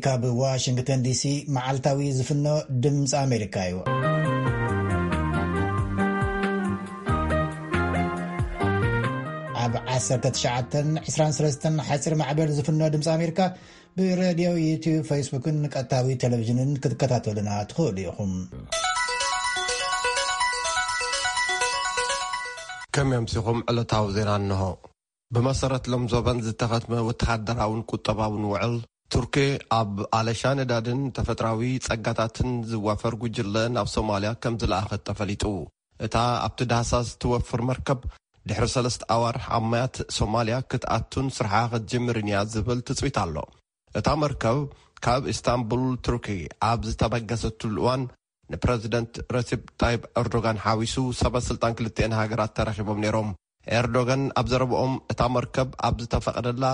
ካብ ዋሽንግተን ዲሲ መዓልታዊ ዝፍኖ ድምፂ ኣሜሪካ እዩ። ኣብ ዓሰርተ ትሽዓተን ዕስራን ሰለስተን ሓፂር ማዕበል ዝፍኖ ድምፂ ኣሜሪካ ብሬድዮ፣ ዩቲዩብ፣ ፌስቡክን ቀጥታዊ ቴሌቪዥንን ክትከታተሉና ትኽእሉ ኢኹም። ከመይ ኣምሲኹም? ዕለታዊ ዜና እንሆ። ብመሰረት ሎም ዞበን ዝተኸትመ ወተሃደራውን ቁጠባውን ውዕል፣ ቱርኪ ኣብ ኣለሻ ነዳድን ተፈጥራዊ ጸጋታትን ዝዋፈር ጉጅለ ናብ ሶማልያ ከም ዝለኣኸት ተፈሊጡ። እታ ኣብቲ ዳህሳስ ትወፍር መርከብ፣ ድሕሪ ሰለስተ ኣዋርሕ ኣብ ማያት ሶማልያ ክትኣቱን ስርሓ ክትጅምርን እያ ዝብል ትጽቢት ኣሎ። እታ መርከብ ካብ ኢስታንቡል ቱርኪ ኣብ ዝተበገሰትሉ እዋን ንፕረዚደንት ረሲፕ ጣይብ ኤርዶጋን ሓዊሱ ሰበ ስልጣን ክልቲኤን ሃገራት ተራኺቦም ነይሮም። ኤርዶጋን ኣብ ዘረብኦም፣ እታ መርከብ ኣብ ዝተፈቐደላ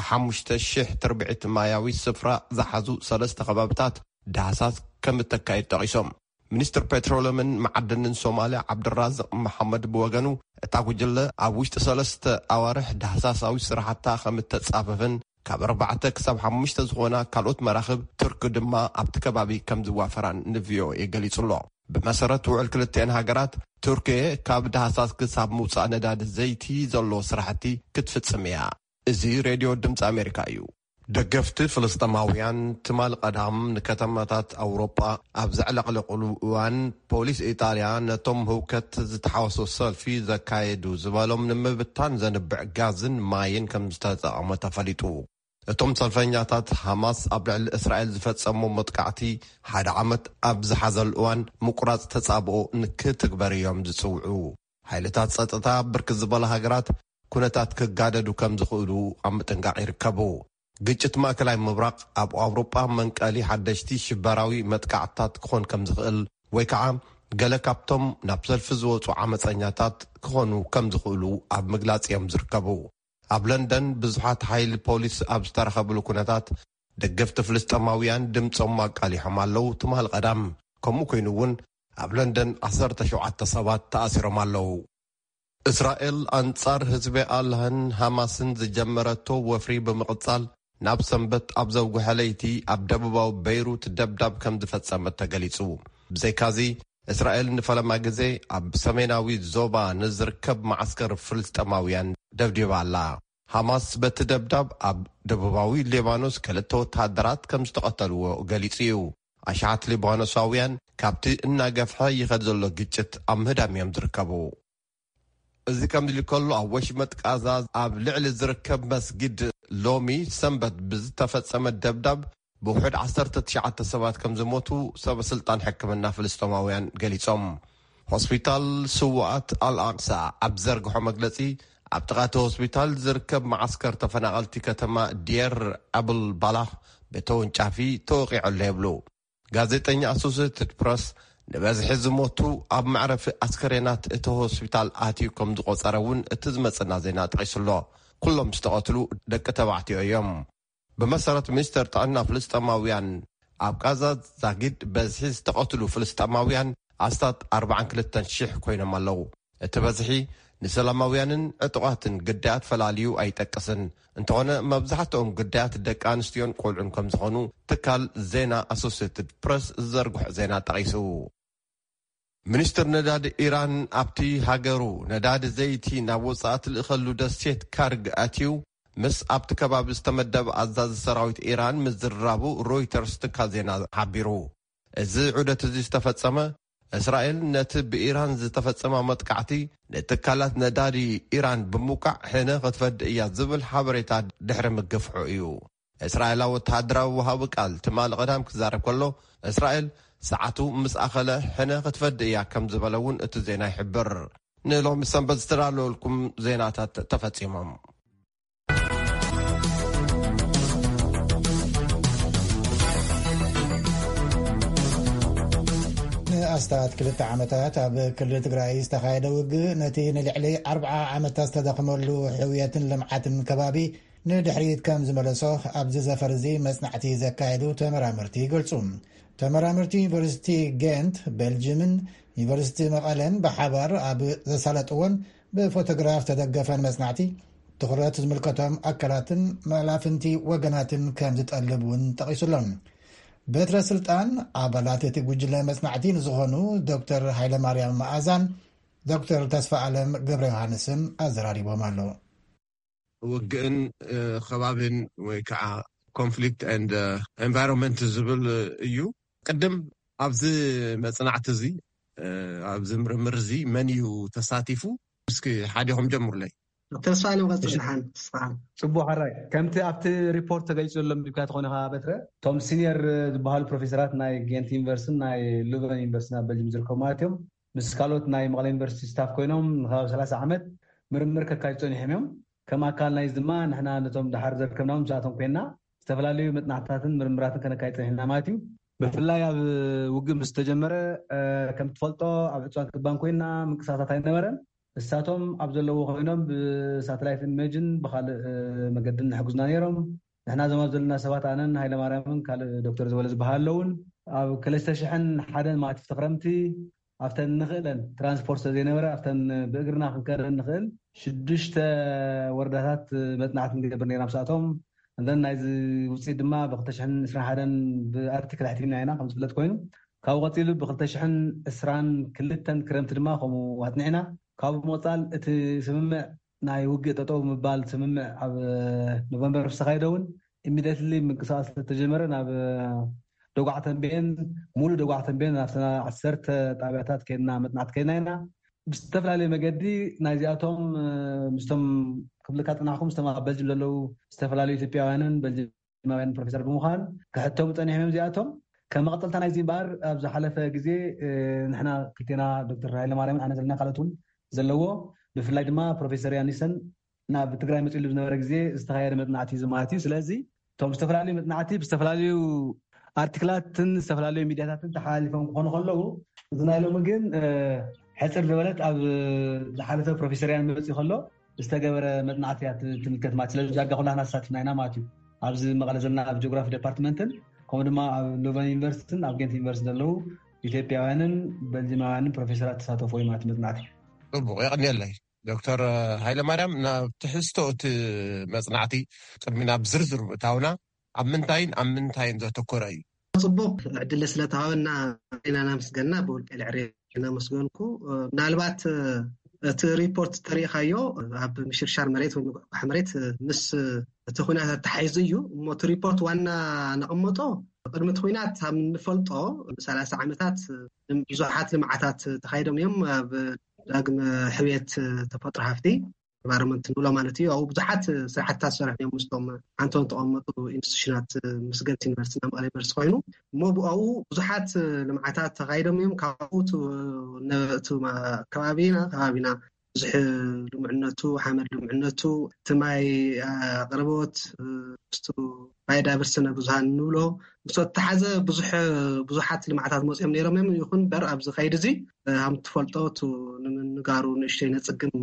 ሓሙሽተ ሽሕ ትርብዒት ማያዊ ስፍራ ዝሓዙ ሰለስተ ከባብታት ዳህሳስ ከም እተካየድ ጠቒሶም። ሚኒስትር ፔትሮለምን መዓድንን ሶማልያ ዓብድራዝቅ መሓመድ ብወገኑ፣ እታ ጉጅለ ኣብ ውሽጢ ሰለስተ ኣዋርሕ ዳህሳሳዊ ስራሕታ ከም እተጻፈፍን ካብ ኣርባዕተ ክሳብ ሓሙሽተ ዝኾና ካልኦት መራኽብ ቱርኪ ድማ ኣብቲ ከባቢ ከም ዝዋፈራን ንቪኦኤ ገሊጹ ኣሎ። ብመሰረት ውዕል ክልቲኤን ሃገራት፣ ቱርኪ ካብ ዳህሳስ ክሳብ ምውጻእ ነዳዲ ዘይቲ ዘሎ ስራሕቲ ክትፍጽም እያ። እዚ ሬድዮ ድምፂ ኣሜሪካ እዩ። ደገፍቲ ፍልስጤማውያን ትማል ቀዳም ንከተማታት ኣውሮጳ ኣብ ዘዕለቕለቑሉ እዋን፣ ፖሊስ ኢጣልያ ነቶም ህውከት ዝተሓወሶ ሰልፊ ዘካየዱ ዝበሎም ንምብታን ዘንብዕ ጋዝን ማይን ከም ዝተጠቐመ ተፈሊጡ። እቶም ሰልፈኛታት፣ ሃማስ ኣብ ልዕሊ እስራኤል ዝፈጸሞ መጥቃዕቲ ሓደ ዓመት ኣብ ዝሓዘሉ እዋን፣ ምቁራጽ ተጻብኦ ንክትግበር እዮም ዝጽውዑ። ሓይልታት ጸጥታ ብርክት ዝበላ ሃገራት ኩነታት ክጋደዱ ከም ዝኽእሉ ኣብ ምጥንቃቕ ይርከቡ። ግጭት ማእከላይ ምብራቕ ኣብ ኣውሮጳ መንቀሊ ሓደሽቲ ሽበራዊ መጥቃዕትታት ክኾን ከም ዝኽእል፣ ወይ ከዓ ገለ ካብቶም ናብ ሰልፊ ዝወጹ ዓመጸኛታት ክኾኑ ከም ዝኽእሉ ኣብ ምግላጽ እዮም ዝርከቡ። ኣብ ለንደን ብዙሓት ሓይሊ ፖሊስ ኣብ ዝተረኸብሉ ኩነታት፣ ደገፍቲ ፍልስጤማውያን ድምጾም ኣቃሊሖም ኣለዉ። ትማል ቀዳም ከምኡ ኮይኑ እውን፣ ኣብ ለንደን ዓሰርተ ሸውዓተ ሰባት ተኣሲሮም ኣለዉ። እስራኤል ኣንጻር ህዝቢ ኣላህን ሃማስን ዝጀመረቶ ወፍሪ ብምቕጻል፣ ናብ ሰንበት ኣብ ዘውግሐ ለይቲ ኣብ ደቡባዊ በይሩት ደብዳብ ከም ዝፈጸመት ተገሊጹ። ብዘይካዚ፣ እስራኤል ንፈለማ ግዜ ኣብ ሰሜናዊ ዞባ ንዝርከብ መዓስከር ፍልስጤማውያን ደብዲባ ኣላ። ሃማስ በቲ ደብዳብ ኣብ ደቡባዊ ሊባኖስ ክልተ ወተሃደራት ከም ዝተቐተልዎ ገሊጹ እዩ። ኣሽሓት ሊባኖሳውያን ካብቲ እናገፍሐ ይኸድ ዘሎ ግጭት ኣብ ምህዳም እዮም ዝርከቡ። እዚ ከምዚ ኢሉ ከሎ፣ ኣብ ወሽመጥ ቃዛ ኣብ ልዕሊ ዝርከብ መስጊድ ሎሚ ሰንበት ብዝተፈጸመ ደብዳብ ብውሑድ ዓሰርተ ትሽዓተ ሰባት ከም ዝሞቱ ሰበ ስልጣን ሕክምና ፍልስጤማውያን ገሊጾም። ሆስፒታል ስውኣት ኣልኣቅሳ ኣብ ዘርግሖ መግለጺ፣ ኣብ ጥቓ እቲ ሆስፒታል ዝርከብ መዓስከር ተፈናቐልቲ ከተማ ዲየር ኣብል ባላኽ ብተወንጫፊ ተወቒዑ ኣሎ ይብሉ። ጋዜጠኛ ኣሶሴትድ ፕረስ፣ ንበዝሒ ዝሞቱ ኣብ መዕረፊ ኣስከሬናት እቲ ሆስፒታል ኣትዩ ከም ዝቖጸረ እውን እቲ ዝመጽና ዜና ጠቒሱ ኣሎ። ኩሎም ዝተቐትሉ ደቂ ተባዕትዮ እዮም። ብመሰረት ሚኒስተር ጥዕና ፍልስጤማውያን፣ ኣብ ቃዛ ዛጊድ በዝሒ ዝተቐትሉ ፍልስጤማውያን ኣስታት ኣርባዓን ክልተን ሽሕ ኮይኖም ኣለዉ። እቲ በዝሒ ንሰላማውያንን ዕጡቓትን ግዳያት ፈላልዩ ኣይጠቅስን። እንተኾነ፣ መብዛሕትኦም ግዳያት ደቂ ኣንስትዮን ቆልዑን ከም ዝኾኑ ትካል ዜና ኣሶሴትድ ፕረስ ዝዘርግሖ ዜና ጠቒሱ። ሚኒስትር ነዳዲ ኢራን ኣብቲ ሃገሩ ነዳዲ ዘይቲ ናብ ወጻኢ ትልእኸሉ ደሴት ካርግ ኣትዩ ምስ ኣብቲ ከባቢ ዝተመደበ ኣዛዚ ሰራዊት ኢራን ምዝርራቡ ሮይተርስ ትካል ዜና ሓቢሩ። እዚ ዑደት እዚ ዝተፈጸመ፣ እስራኤል ነቲ ብኢራን ዝተፈጸመ መጥቃዕቲ ንትካላት ነዳዲ ኢራን ብምውቃዕ ሕነ ክትፈድእ እያ ዝብል ሓበሬታ ድሕሪ ምግፍሑ እዩ። እስራኤላዊ ወተሃደራዊ ወሃቢ ቃል ትማሊ ቀዳም ክዛረብ ከሎ፣ እስራኤል ሰዓቱ ምስ ኣኸለ ሕነ ክትፈድእ እያ ከም ዝበለ እውን እቲ ዜና ይሕብር። ንሎሚ ሰንበት ዝተዳለወልኩም ዜናታት ተፈጺሞም። ንኣስታት ክልተ ዓመታት ኣብ ክልል ትግራይ ዝተኻየደ ውግእ፣ ነቲ ንልዕሊ ኣርብዓ ዓመታት ዝተደኽመሉ ሕውየትን ልምዓትን ከባቢ ንድሕሪት ከም ዝመለሶ ኣብዚ ዘፈር እዚ መጽናዕቲ ዘካየዱ ተመራመርቲ ይገልጹ። ተመራመርቲ ዩኒቨርሲቲ ጌንት ቤልጅምን ዩኒቨርሲቲ መቐለን ብሓባር ኣብ ዘሳለጥዎን ብፎቶግራፍ ተደገፈን መጽናዕቲ፣ ትኹረት ዝምልከቶም ኣካላትን መላፍንቲ ወገናትን ከም ዝጠልብ እውን ጠቒሱሎም። በትረ ስልጣን ኣባላት እቲ ጉጅለ መጽናዕቲ ንዝኾኑ ዶክተር ሃይለማርያም መኣዛን ዶክተር ተስፋ ኣለም ገብረ ዮሃንስን ኣዘራሪቦም ኣሎ። ውግእን ከባብን ወይ ከዓ conflict and environment ዝብል እዩ። ቅድም ኣብዚ መፅናዕቲ እዚ ኣብዚ ምርምር እዚ መን እዩ ተሳቲፉ? እስኪ ሓዲኹም ጀምሩለይ። ተስፋ ኣለምቀፅልሓን ፅቡቅ ሕራይ። ከምቲ ኣብቲ ሪፖርት ተገሊፁ ዘሎ ምድብካ ትኾነ ከ በትረ፣ እቶም ሲኒየር ዝበሃሉ ፕሮፌሰራት ናይ ጌንት ዩኒቨርሲቲን ናይ ሉቨን ዩኒቨርሲቲ ኣብ በልጅም ዝርከቡ ማለት እዮም፣ ምስ ካልኦት ናይ መቐለ ዩኒቨርሲቲ ስታፍ ኮይኖም ንከባቢ ሰላሳ ዓመት ምርምር ከካዩ ፀኒሖም እዮም። ከም ኣካል ናይዚ ድማ ንሕና ነቶም ድሓር ዘርከብናዎም ምስኣቶም ኮይና ዝተፈላለዩ መፅናዕትታትን ምርምራትን ከነካይ ፀኒሕና ማለት እዩ። ብፍላይ ኣብ ውግእ ምስ ተጀመረ ከም ትፈልጦ ኣብ ዕፅዋን ክባን ኮይና ምንቅስቃሳት ኣይነበረን። እሳቶም ኣብ ዘለዎ ኮይኖም ብሳተላይት ኢሜጅን ብካልእ መገድን ንሕግዙና ነይሮም። ንሕና ዞም ኣብ ዘለና ሰባት ኣነን ሃይለማርያምን ካልእ ዶክተር ዝበለ ዝበሃል ኣለውን ኣብ ክልተ ሽሕን ሓደን ማለት ክረምቲ ኣብተን ንኽእለን ትራንስፖርት ስለዘይነበረ ኣብተን ብእግርና ክንከደን ንኽእል ሽዱሽተ ወረዳታት መፅናዕቲ ንገብር ነይርና ምስኣቶም። እንደን ናይዚ ውፅኢት ድማ ብክልተ ሽሕን ዕስራን ሓደን ብኣርቲክል ኣሕቲምና ኢና ከም ዝፍለጥ ኮይኑ ካብኡ ቀፂሉ ብክልተ ሽሕን ዕስራን ክልተን ክረምቲ ድማ ከምኡ ኣፅኒዕና። ካብኡ ምቕፃል እቲ ስምምዕ ናይ ውግእ ጠጠው ምባል ስምምዕ ኣብ ኖቨምበር ምስ ተካየደ እውን ኢሚደትሊ ምንቅስቃስ ስለተጀመረ ናብ ደጓዕ ተንቤን ሙሉእ ደጓዕ ተንቤን ናብተና ዓሰርተ ጣብያታት ከድና መፅናዕቲ ከድና ኢና። ብዝተፈላለየ መገዲ ናይዚኣቶም ምስቶም ክብልካ ፅናሕኩም ምስቶም ኣብ በልጅም ዘለዉ ዝተፈላለዩ ኢትዮጵያውያንን በልጅማውያን ፕሮፌሰር ብምዃን ክሕተሙ ፀኒሖም እዮም። እዚኣቶም ከም መቐፀልታ ናይዚ እምበኣር ኣብ ዝሓለፈ ግዜ ንሕና ክልቴና ዶክተር ሃይለማርያምን ኣነ ዘለና ካልኦት እውን ዘለዎ ብፍላይ ድማ ፕሮፌሰር ያኒሰን ናብ ትግራይ መፅሉ ዝነበረ ግዜ ዝተካየደ መፅናዕቲ እዩ ማለት እዩ። ስለዚ እቶም ዝተፈላለዩ መፅናዕቲ ብዝተፈላለዩ ኣርቲክላትን ዝተፈላለዩ ሚዲያታትን ተሓላሊፎም ክኾኑ ከለዉ እዚ ናይ ሎሚ ግን ሕፅር ዝበለት ኣብ ዝሓለፈ ፕሮፌሰር ያን መፅኡ ከሎ ዝተገበረ መፅናዕቲ እያ ትምልከት ማለት ስለዚ ዳርጋ ኩላህና ተሳቲፍና ኢና ማለት እዩ። ኣብዚ መቐለ ዘለና ኣብ ጂኦግራፊ ዲፓርትመንትን ከምኡ ድማ ኣብ ሎቨን ዩኒቨርሲቲን ኣብ ጌንት ዩኒቨርሲቲ ዘለዉ ኢትዮጵያውያንን በልጅማውያንን ፕሮፌሰራት ተሳተፉ እዩ ማለት መፅናዕቲ። ፅቡቅ የቀንየለይ። ዶክተር ሃይለማርያም ናብ ትሕዝቶ እቲ መፅናዕቲ ቅድሚ ናብ ዝርዝር ምእታውና ኣብ ምንታይን ኣብ ምንታይን ዘተኮረ እዩ? ፅቡቅ ዕድል ስለተሃወና ኢና ናመስገንና ብውልቀ ልዕሪ እናመስገንኩ ምናልባት እቲ ሪፖርት ተሪኢኻዮ ኣብ ምሽርሻር መሬት ወይ ምጉሕጓሕ መሬት ምስ እቲ ኩናት ኣተሓሒዙ እዩ እሞ እቲ ሪፖርት ዋና ነቐመጦ ቅድሚ እቲ ኩናት ኣብ ንፈልጦ ሰላሳ ዓመታት ብዙሓት ልምዓታት ተኻይዶም እዮም ኣብ ዳግመ ሕውየት ተፈጥሮ ሃፍቲ ኢንቫይሮንመንት ንብሎ ማለት እዩ ኣብኡ ብዙሓት ስራሕትታት ዝሰርሑ እዮም ምስቶም ሓንቶም ተቐመጡ ኢንስቲቱሽናት ምስ ጌንት ዩኒቨርሲቲ ናብ መቐለ ዩኒቨርሲቲ ኮይኑ እሞ ብኣኡ ብዙሓት ልምዓታት ተኻይዶም እዮም ካብኡ ከባቢና ከባቢና ብዙሕ ልሙዕነቱ ሓመድ ልሙዕነቱ እቲ ማይ ኣቅርቦት ምስቱ ባዮዳይቨርሲቲ ስነ ብዙሃን ንብሎ ምስ ተተሓዘ ብዙሕ ብዙሓት ልምዓታት መፅኦም ነይሮም እዮም ይኹን በር ኣብዚ ከይዲ እዚ ከም ትፈልጦ እቲ ንምንጋሩ ንእሽተይ ነፅግም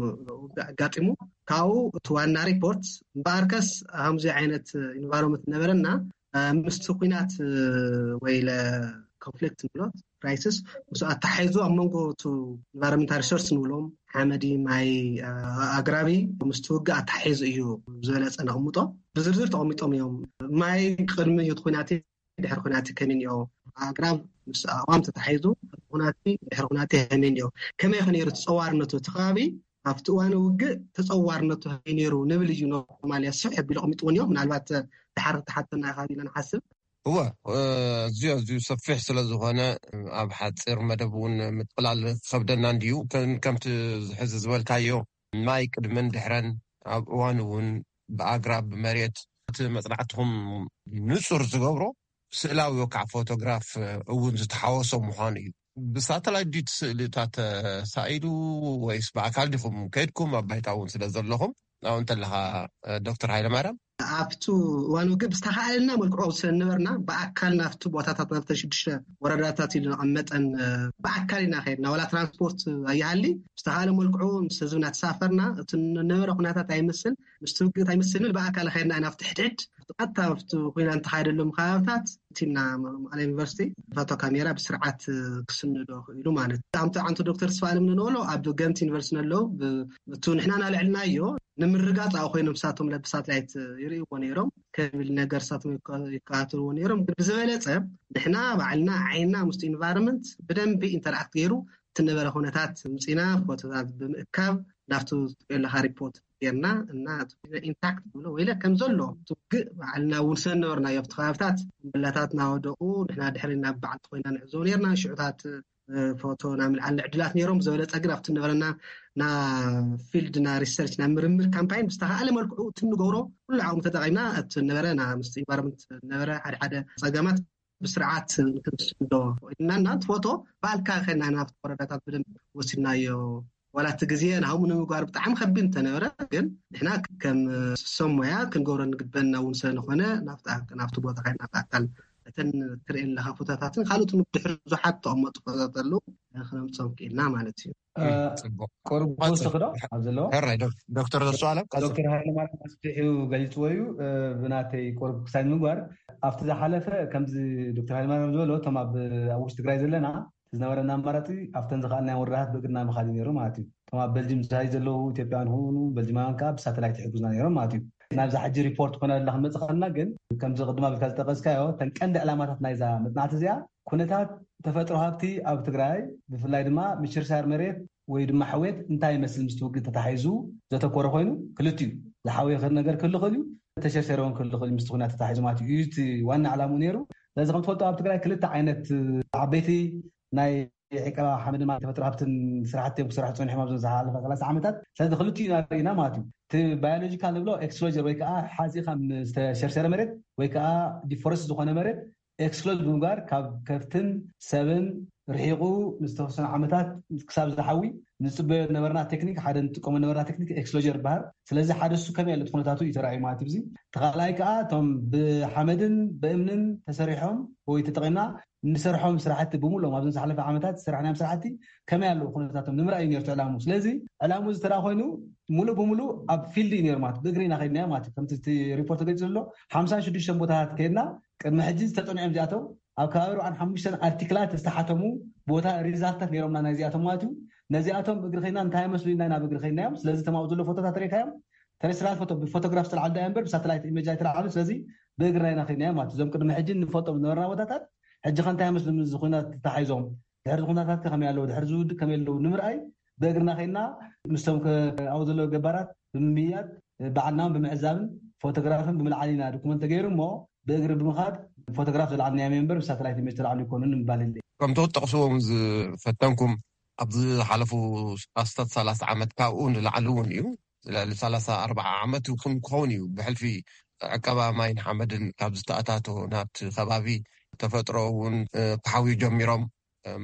ኣጋጢሙ ካብኡ እቲ ዋና ሪፖርት እምበኣርከስ ከምዚ ዓይነት ኢንቫይሮንመንት ነበረና ምስቲ ኩናት ወይ ኮንፍሊክት ንብሎ ክራይሲስ ምስ ኣተሓሒዙ ኣብ መንጎ ቱ ኢንቫይሮንመንታል ሪሶርስ ንብሎም ሓመዲ ማይ ኣግራቢ ምስቲ ውግእ ኣተሓሒዙ እዩ ዝበለፀ ነቕምጦ ብዝርዝር ተቐሚጦም እዮም ማይ ቅድሚ እቲ ኩናት ድሕሪ ኩናት ከመይ እኒኦ ኣግራብ ምስ ኣዋም ተታሒዙ ኩናት ድሕሪ ኩናት ከመይ እኒኦ ከመይ ከ ነይሩ ተፀዋርነቱ እቲ ከባቢ ኣብቲ እዋን ውግእ ተፀዋርነቱ ከመይ ነይሩ ንብል እዩ ኖርማል እያ ስፍሕ ኣቢሉ ኣቐሚጥዎ እኒኦ ምናልባት ድሓር ተሓተና ኢኻ ኢለ ንሓስብ እወ ኣዝዩ ኣዝዩ ሰፊሕ ስለ ዝኾነ ኣብ ሓፂር መደብ እውን ምጥቕላል ክኸብደና እንድዩ ከምቲ ሕዚ ዝበልካዮ ማይ ቅድመን ድሕረን ኣብ እዋን እውን ብኣግራብ ብመሬት እቲ መፅናዕትኹም ንፁር ዝገብሮ ስእላዊ ወካዕ ፎቶግራፍ እውን ዝተሓወሶ ምዃኑ እዩ። ብሳተላይት ድዩ እቲ ስእሊ እታ ተሳኢሉ ወይስ ብኣካል ዲኹም ከይድኩም ኣብ ባይታ እውን ስለ ዘለኹም ኣብኡ እንተለኻ ዶክተር ሃይለማርያም ኣብቱ እዋን ውግእ ብዝተኻኣለና መልክዑ ስለ ነበርና ብኣካል ናብቲ ቦታታት ናብተን ሽዱሽተ ወረዳታት ኢሉ ነቐመጠን ብኣካል ኢና ከድና ዋላ ትራንስፖርት ኣይሃሊ ብዝተኻኣለ መልክዑ ምስ ህዝብና ተሳፈርና እቲ ነበረ ኩነታት ኣይመስል ምስቲ ውግእ ኣይመስልን ብኣካል ከድና ኢና ኣብቲ ሕድሕድ ኣታ ኣብቲ ኮይና እንተኻየደሎም ከባብታት እቲና መቐለ ዩኒቨርሲቲ ፋቶ ካሜራ ብስርዓት ክስንዶ ክኢሉ ማለት ኣምቲ ዓንቶ ዶክተር ስፋልም ንንበሎ ኣብ ገንት ዩኒቨርሲቲ ነለዉ እቱ ንሕና ናልዕልናዮ ንምርጋፅ ኣብኡ ኮይኖም ንሳቶም ብሳትላይት ይርእይዎ ነይሮም። ከቢል ነገር ንሳቶም ይከ- ይከታተልዎ ነይሮም። ግን ብዝበለፀ ንሕና ባዕልና ዓይንና ምስቲ ኢንቫይሮንመንት ብደንቢ ኢንተራክት ገይሩ እቲ ነበረ ኩነታት ምፂና ፎቶታት ብምእካብ ናብቲ ትሪኦ ኣለካ ሪፖርት ጌርና እና ኢንታክት ብሎ ወይለ ከም ዘሎ ትውግእ ባዕልና ውንሰ ነበርናዮ ኣብቲ ከባብታት እምብላታት ናወደቁ ንሕና ድሕሪ ናብ በዓልቲ ኮይና ንዕዘቡ ነርና ሽዑታት ፎቶ ና ምልዓል ዕድላት ነይሮም። ብዝበለፀ ግን ኣብቲ ነበረና ና ፊልድ ና ሪሰርች ና ምርምር ካምፓይን ብዝተኸኣለ መልክዑ እቲ ንገብሮ ኩሉ ዓቕሚ ተጠቒምና እቲ ነበረ ና ምስ ኢንቫይሮንመንት ነበረ ሓደ ሓደ ፀገማት ብስርዓት ክንስዶ እና እና እቲ ፎቶ ባልካ ከና ናብቲ ወረዳታት ብደንብ ወሲድናዮ። ዋላ እቲ ግዜ ናብኡ ንምግባር ብጣዕሚ ከቢድ እንተነበረ ግን ንሕና ከም ሰብ ሞያ ክንገብሮ ንግበና እውን ስለዝኾነ ናብቲ ቦታ ከይድና ብኣካል እተን ትርእየን ኣለኻ ፎቶታትን ካልኦት ብድሕሪ ብዙሓት ተቐመጡ ፎቶታት ኣለዉ ክነምፅኦም ክኢልና ማለት እዩ። ቁሩብ ክወስኽ ዶ ኣብ ዘለዎ ሕራይ ዶክተር ተስፋለም ቀፅል። ዶክተር ሃይለማርያም ኣስፊሑ ገሊፅዎ እዩ። ብናተይ ቁሩብ ክሳይ ንምግባር ኣብቲ ዝሓለፈ ከምዚ ዶክተር ሃይለማርያም ዝበሎ እቶም ኣብ ውሽጢ ትግራይ ዘለና ዝነበረና ኣማራፂ ኣብተን ዝኸኣልናዮ ወረዳታት ብእግርና ምኻድ እዩ ነይሩ ማለት እዩ። እቶም ኣብ በልጅም ዝሳይ ዘለዉ ኢትዮጵያውያን ይኹኑ በልጅማውያን ከዓ ብሳተላይት ይሕግዙና ነይሮም ማለት እዩ። ናብዛ ሕጂ ሪፖርት ኮይና ዘላ ክንመፅእ ከለና ግን ከምዚ ቅድም ኣቢልካ ዝጠቀስካዮ እተን ቀንዲ ዕላማታት ናይዛ መፅናዕቲ እዚኣ ኩነታት ተፈጥሮ ሃብቲ ኣብ ትግራይ ብፍላይ ድማ ምሽርሻር መሬት ወይ ድማ ሕውየት እንታይ ይመስል ምስቲ ውግእ ተታሒዙ ዘተኮረ ኮይኑ ክልቲኡ ዝሓወየ ነገር ክህሉ ክእል እዩ፣ ተሸርሸረ እውን ክህሉ ክእል እዩ ምስቲ ኩናት ተታሒዙ ማለት እዩ። እዩ እቲ ዋና ዕላምኡ ነይሩ። ስለዚ ከም ትፈልጦ ኣብ ትግራይ ክልተ ዓይነት ዓበይቲ ናይ ዕቀባ ሓመድን ተፈጥሮ ሃብትን ስራሕቲ እዮም ክሰርሑ ፀኒሖም ኣብዚ ዝሓለፈ ሰላሳ ዓመታት። ስለዚ ክልቲኡ ኢና ርኢና ማለት እዩ። እቲ ባዮሎጂካል ንብሎ ኤክስክሎጀር ወይ ከዓ ሓፂኻ ዝተሸርሸረ መሬት ወይ ከዓ ዲፎረስት ዝኾነ መሬት ኤክስክሎጅ ብምግባር ካብ ከፍትን ሰብን ርሒቑ ንዝተወሰኑ ዓመታት ክሳብ ዝሓዊ ንፅበዮ ነበርና ቴክኒክ ሓደ ንጥቀሞ ነበርና ቴክኒክ ኤክስክሎጀር ይበሃል። ስለዚ ሓደ እሱ ከመይ ኣሎ እቲ ኩነታቱ እዩ ተራእዩ ማለት እዩ። እዚ ተኻልኣይ ከዓ እቶም ብሓመድን ብእምንን ተሰሪሖም ወይ ተጠቒምና እንሰርሖም ስራሕቲ ብምሎም ኣብዚ ዝሓለፈ ዓመታት ዝሰራሕናዮም ስራሕቲ ከመይ ኣለዉ ኩነታቶም ንምርኣይ እዩ ነርቱ ዕላሙ። ስለዚ ዕላሙ ዝተራ ኮይኑ ሙሉእ ብሙሉእ ኣብ ፊልድ እዩ ነሩ ማለት ብእግሪ ኢና ከድናዮ ማለት እዩ። ከምቲ ሪፖርት ተገሊፁ ዘሎ ሓምሳን ሽዱሽተን ቦታታት ከድና ቅድሚ ሕጂ ዝተጠንዖም እዚኣቶም ኣብ ከባቢ ኣርባዓን ሓሙሽተን ኣርቲክላት ዝተሓተሙ ቦታ ሪዛልታት ነይሮምና ናይዚኣቶም ማለት እዩ። ነዚኣቶም እግሪ ከይና እንታይ መስሉ ኢና ናብ እግሪ ከይናዮም። ስለዚ ተማኡ ዘሎ ፎቶታት ሬካዮም ተረስትራል ፎቶ ብፎቶግራፍ ዝተልዓሉ ዳያ እምበር ብሳተላይት ኢሜጅ ኣይተልዓሉ። ስለዚ ብእግርና ኢና ከይናዮም ማለት እዞም ቅድሚ ሕጂ ንፈልጦም ዝነበርና ቦታታት ሕጂ ከ እንታይ መስሉ ዝኩናት ተታሒዞም ድሕሪ ኩናታት ከመይ ኣለዉ ድሕሪ ዝውድእ ከመይ ኣለዉ ንምርኣይ ብእግርና ከይና ምስቶም ኣብኡ ዘለዉ ገባራት ብምምያጥ ባዕልናውን ብምዕዛብን ፎቶግራፍን ብምልዓል ኢና ዶኩመንት ተገይሩ እሞ ብእግሪ ብምኻድ ፎቶግራፍ ዝለዓልናዮ ሜምበር ብሳተላይት ኢሜጅ ተላዕሉ ይኮኑን ምባል የለ። ከምቲ ክትጠቕስዎም ዝፈተንኩም ኣብዚ ዝሓለፉ ኣስታት ሰላሳ ዓመት ካብኡ ንላዕሊ እውን እዩ ልዕሊ ሰላሳ ኣርባዓ ዓመት ይኹን ክኸውን እዩ ብሕልፊ ዕቀባ ማይን ሓመድን ካብ ዝተኣታቶ ናብቲ ከባቢ ተፈጥሮ እውን ክሓውዩ ጀሚሮም።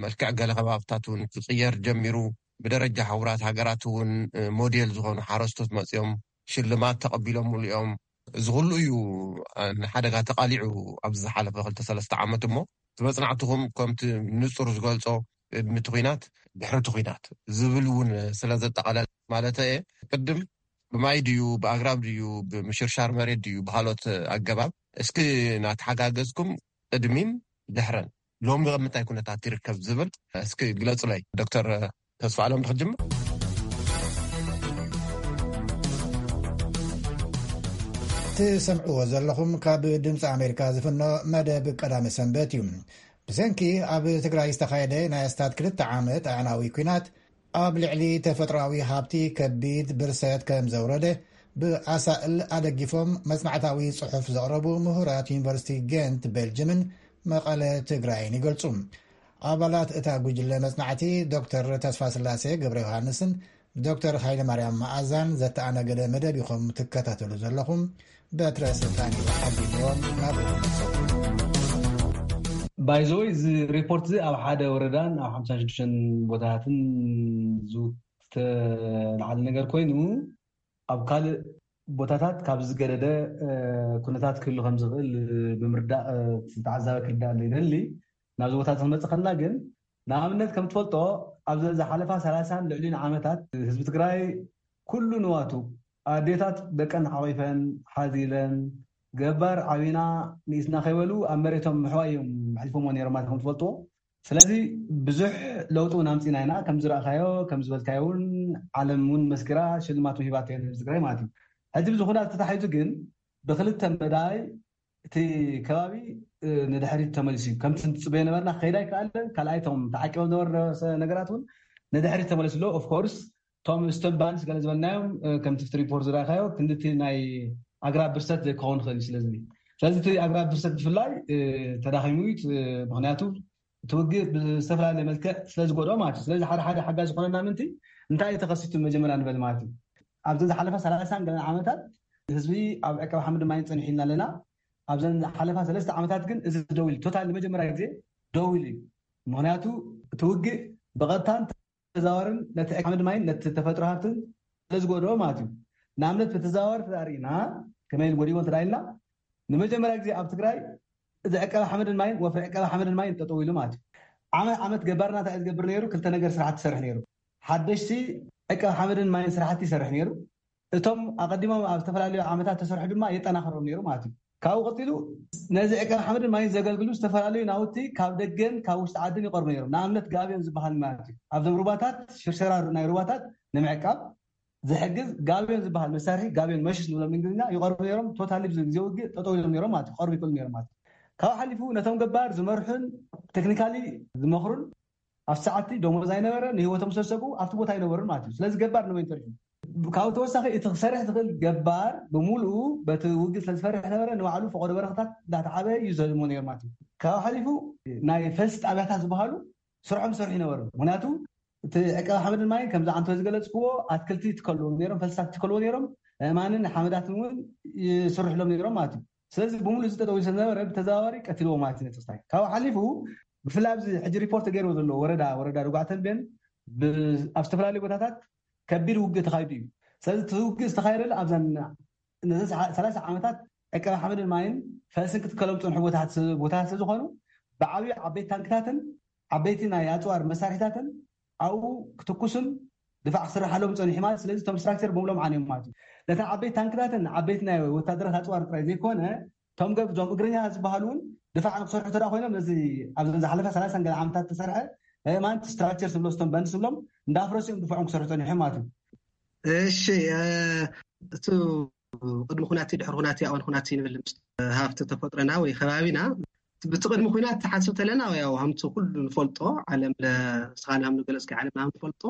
መልክዕ ገለ ከባብታት እውን ክቅየር ጀሚሩ። ብደረጃ ሕቡራት ሃገራት እውን ሞዴል ዝኾኑ ሓረስቶት መፅኦም ሽልማት ተቐቢሎምሉ እዮም። እዚ ኩሉ እዩ ንሓደጋ ተቃሊዑ ኣብዚ ዝሓለፈ ክልተ ሰለስተ ዓመት እሞ እቲ መፅናዕትኹም ከምቲ ንፁር ዝገልፆ ቅድሚ እቲ ኲናት ድሕሪ እቲ ኲናት ዝብል እውን ስለ ዘጠቓለለ ማለት እየ። ቅድም ብማይ ድዩ ብኣግራብ ድዩ ብምሽርሻር መሬት ድዩ ብካልኦት ኣገባብ እስኪ ናተሓጋገዝኩም ቅድሚን ድሕረን ሎሚ ኣብ ምንታይ ኩነታት ይርከብ ዝብል እስኪ ግለፁለይ ዶክተር ተስፋኣለም ትክጅምር። ትሰምዕዎ ዘለኹም ካብ ድምፂ ኣሜሪካ ዝፍኖ መደብ ቀዳሚ ሰንበት እዩ። ብሰንኪ ኣብ ትግራይ ዝተኻየደ ናይ ኣስታት ክልተ ዓመት ኣዕናዊ ኲናት ኣብ ልዕሊ ተፈጥሮኣዊ ሃብቲ ከቢድ ብርሰት ከም ዘውረደ ብኣሳእል ኣደጊፎም መጽናዕታዊ ጽሑፍ ዘቕረቡ ምሁራት ዩኒቨርሲቲ ጌንት ቤልጅምን መቐለ ትግራይን ይገልጹ። ኣባላት እታ ጉጅለ መጽናዕቲ ዶክተር ተስፋስላሴ ገብረ ዮሃንስን ዶክተር ሃይለ ማርያም መኣዛን ዘተኣናገደ መደብ ኢኹም ትከታተሉ ዘለኹም። በትረ ስልጣን እዩ ሓዲግዎም ናብ ባይዘወይ እዚ ሪፖርት እዚ ኣብ ሓደ ወረዳን ኣብ ሓምሳ ሽዱሽተን ቦታታትን ዝተልዓለ ነገር ኮይኑ ኣብ ካልእ ቦታታት ካብ ዝገደደ ኩነታት ክህሉ ከም ዝኽእል ብምርዳእ ተዓዛቢ ክርዳእ ይደሊ። ናብዚ ቦታታት ክንመፅእ ከለና ግን ንኣብነት ከም ትፈልጦ ኣብዚ ዝሓለፋ ሰላሳን ልዕሊኡን ዓመታት ህዝቢ ትግራይ ኩሉ ንዋቱ ኣዴታት ደቀን ሓቒፈን ሓዚለን ገባር ዓቢና ንኢስና ከይበሉ ኣብ መሬቶም ምሕዋይ እዮም ኣሕሊፎሞ ነይሮም ማለት ከም ትፈልጥዎ ስለዚ ብዙሕ ለውጢ እውን ኣምፂና ኢና። ከም ዝረእካዮ ከም ዝበልካዮ እውን ዓለም እውን መስኪራ ሽልማት ሂባቶ እያ ንህዝቢ ትግራይ ማለት እዩ። ሕዚ ብዚ ኩናት ተታሒዙ ግን ብክልተ መዳይ እቲ ከባቢ ንድሕሪት ተመሊሱ እዩ። ከምቲ ንፅበዮ ነበርና ክኸይድ ኣይከኣለን። ካልኣይ እቶም ተዓቂቦም ዝነበሩ ነገራት እውን ንድሕሪት ተመሊሱ ኣሎ። ኦፍኮርስ እቶም ስቶን ባንስ ገለ ዝበልናዮም ከምቲ ሪፖርት ዝረእካዮ ክንድቲ ናይ ኣግራብ ብርሰት ክኸውን ይኽእል እዩ። ስለዚ ስለዚ እቲ ኣግራብ ብርሰት ብፍላይ ተዳኺሙ እዩ። ምክንያቱ እቲ ውግእ ብዝተፈላለየ መልክዕ ስለ ዝጎድኦ ማለት እዩ። ስለዚ ሓደ ሓደ ሓጋዝ ዝኾነና ምንቲ እንታይ እዩ ተኸሲቱ መጀመርያ ንበል ማለት እዩ። ኣብዚ ዝሓለፈ ሰላሳን ገለን ዓመታት ህዝቢ ኣብ ዕቀባ ሓመድ ማይን ፀኒሑ ኢና ኣለና። ኣብዘን ዝሓለፋ ሰለስተ ዓመታት ግን እዚ ደው ኢሉ፣ ቶታል ንመጀመርያ ግዜ ደው ኢሉ እዩ። ምክንያቱ እቲ ውግእ ብቐጥታን ተዘዋዋርን ነቲ ዕቀባ ሓመድ ማይን ነቲ ተፈጥሮ ሃብትን ስለ ዝጎድኦ ማለት እዩ። ንኣብነት ብተዘዋዋሪ ተዳሪእና ከመይ ጎዲቦ እንተዳኢልና ንመጀመርያ ግዜ ኣብ ትግራይ እዚ ዕቀባ ሓመድን ማይን ወፍሪ ዕቀባ ሓመድን ማይን ጠጠው ኢሉ ማለት እዩ። ዓመት ዓመት ገባርና እንታይ ዝገብር ነይሩ? ክልተ ነገር ስራሕቲ ይሰርሕ ነይሩ። ሓደሽቲ ዕቀባ ሓመድን ማይን ስራሕቲ ይሰርሕ ነይሩ። እቶም ኣቐዲሞም ኣብ ዝተፈላለዩ ዓመታት ተሰርሑ ድማ የጠናኽሮም ነይሩ ማለት እዩ። ካብኡ ቀፂሉ ነዚ ዕቀባ ሓመድን ማይን ዘገልግሉ ዝተፈላለዩ ናውቲ ካብ ደገን ካብ ውሽጢ ዓድን ይቐርቡ ነይሮም። ንኣብነት ጋብዮን ዝበሃል ማለት እዩ። ኣብዞም ሩባታት ሽርሸራ ናይ ሩባታት ንምዕቃብ ዝሕግዝ ጋብዮን ዝበሃል መሳርሒ፣ ጋብዮን መሽስ ንብሎም እንግሊዝኛ፣ ይቐርቡ ነይሮም። ቶታሊ ብዚ ግዜ ውግእ ጠጠው ኢሎም ነይሮም ማለት እዩ። ክቐርቡ ይክእሉ ነይሮም ማለት እዩ። ካብ ሓሊፉ ነቶም ገባር ዝመርሑን ቴክኒካሊ ዝመኽሩን ኣብቲ ሰዓቲ ደሞዝ ኣይነበረ፣ ንህይወቶም ስለዝሰግኡ ኣብቲ ቦታ ኣይነበሩን ማለት እዩ። ስለዚ ገባር ንበይኑ ተሪፉ። ካብኡ ተወሳኺ እቲ ክሰርሕ ዝኽእል ገባር ብምሉኡ በቲ ውግእ ስለዝፈርሕ ነበረ፣ ንባዕሉ ፈቆዶ በረኽታት እንዳተዓበ እዩ ዘልሞ ነይሩ ማለት እዩ። ካብኡ ሓሊፉ ናይ ፈልሲ ጣብያታት ዝበሃሉ ስርሖም ዝሰርሑ ይነበሩ። ምክንያቱ እቲ ዕቀባ ሓመድን ማይን ከምዚ ዓንቶ ዝገለፅክዎ ኣትክልቲ ይትከልዎም ነይሮም፣ ፈልስታት ይትከልዎ ነይሮም፣ ኣእማንን ሓመዳትን እውን ይስርሕሎም ነይሮም ማለት እዩ። ስለዚ ብምሉእ እዚ ጠጠው ኢሉ ስለዝነበረ ብተዘዋዋሪ ቀትልዎ ማለት እዩ። ነቲ ክስታይ ካብኡ ሓሊፉ ብፍላይ ኣብዚ ሕጂ ሪፖርት ተገይርዎ ዘሎ ወረዳ ወረዳ ርጓዕ ተንቤን ብ- ኣብ ዝተፈላለዩ ቦታታት ከቢድ ውግእ ተኻይዱ እዩ። ስለዚ እቲ ውግእ ዝተኻየደሉ ኣብዘን ነዚ ሰላሳ ዓመታት ዕቀባ ሓመድን ማይን ፈልስን ክትከሎም ዝፀንሑ ቦታታት ቦታታት ስለዝኾኑ ብዓብዩ ዓበይቲ ታንክታትን ዓበይቲ ናይ ኣፅዋር መሳርሒታትን ኣብኡ ክትኩስን ድፋዕ ክስርሓሎም ፀኒሑ ማለት። ስለዚ እቶም ስትራክቸር ብምሎም ዓንዮም ማለት እዩ። ነታ ዓበይቲ ታንክታትን ዓበይቲ ናይ ወታደራት ኣፅዋር ጥራይ ዘይኮነ እቶም ገብ እዞም እግረኛ ዝበሃሉ እውን ድፋዕ ንክሰርሑ ተዳ ኮይኖም ነዚ ኣብ ዝሓለፈ ሰላሳን ገለ ዓመታት ተሰርሐ ማን ስትራክቸር ስብሎ ስቶም በንድ ስብሎም እንዳፍረሱ እዮም ድፋዖም ክሰርሑ ፀኒሖም ማለት እዩ። እሺ እቲ ቅድሚ ኩናት ድሕሪ ኩናት ኣዋን ኩናት ንብል ምስ ሃፍቲ ተፈጥሮና ወይ ከባቢና ብቲ ቅድሚ ኩናት ሓስብ ተለና ያው ሃምቲ ኩሉ ንፈልጦ ዓለም ለስኻና ንገለጽ ዓለም ንፈልጦ